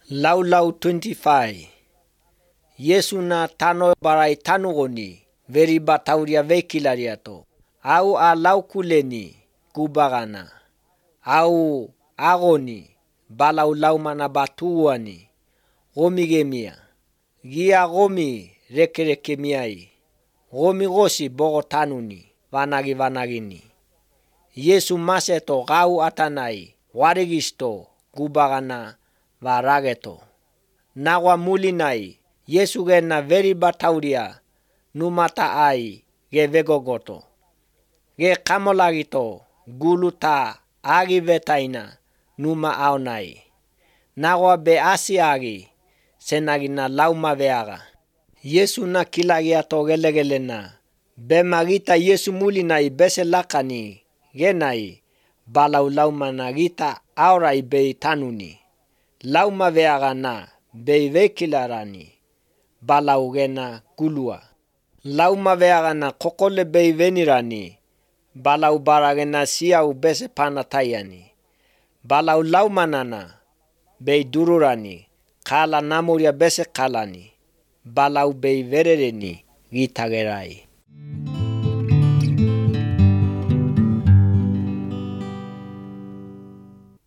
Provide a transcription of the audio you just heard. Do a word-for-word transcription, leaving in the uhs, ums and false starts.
Laulau twenty-five. Yesu na tano barai tanugoni veri batauria vekilariato. Au a laukuleni kubagana. Au agoni balau laumana batuani. Gomi gemia. Gia gomi reke reke miai. Gomi gosi bogo tanuni. Vanagi vanagini. Yesu maseto gau atanai. Warigisto kubagana varageto. Nawa mulinai. Yesu gena veri batauria. Numata ai ge vegogoto. Ge kamolagito guluta agi vetaina numa aonai. Nawa be asi agi senagina lauma veaga. Yesu na kilagiato gelegelena. Be magita Yesu mulinai bese lakani genai balau lauma na gita aurai bei tanuni. Lauma veaga na bei vekilarani balau gena gulua. Lauma veaga na kokole bei venirani balau baragena siau bese panatayani. Balau lauma nana bei dururani kala namuria bese kalani. Balau bei verereni gitagerai.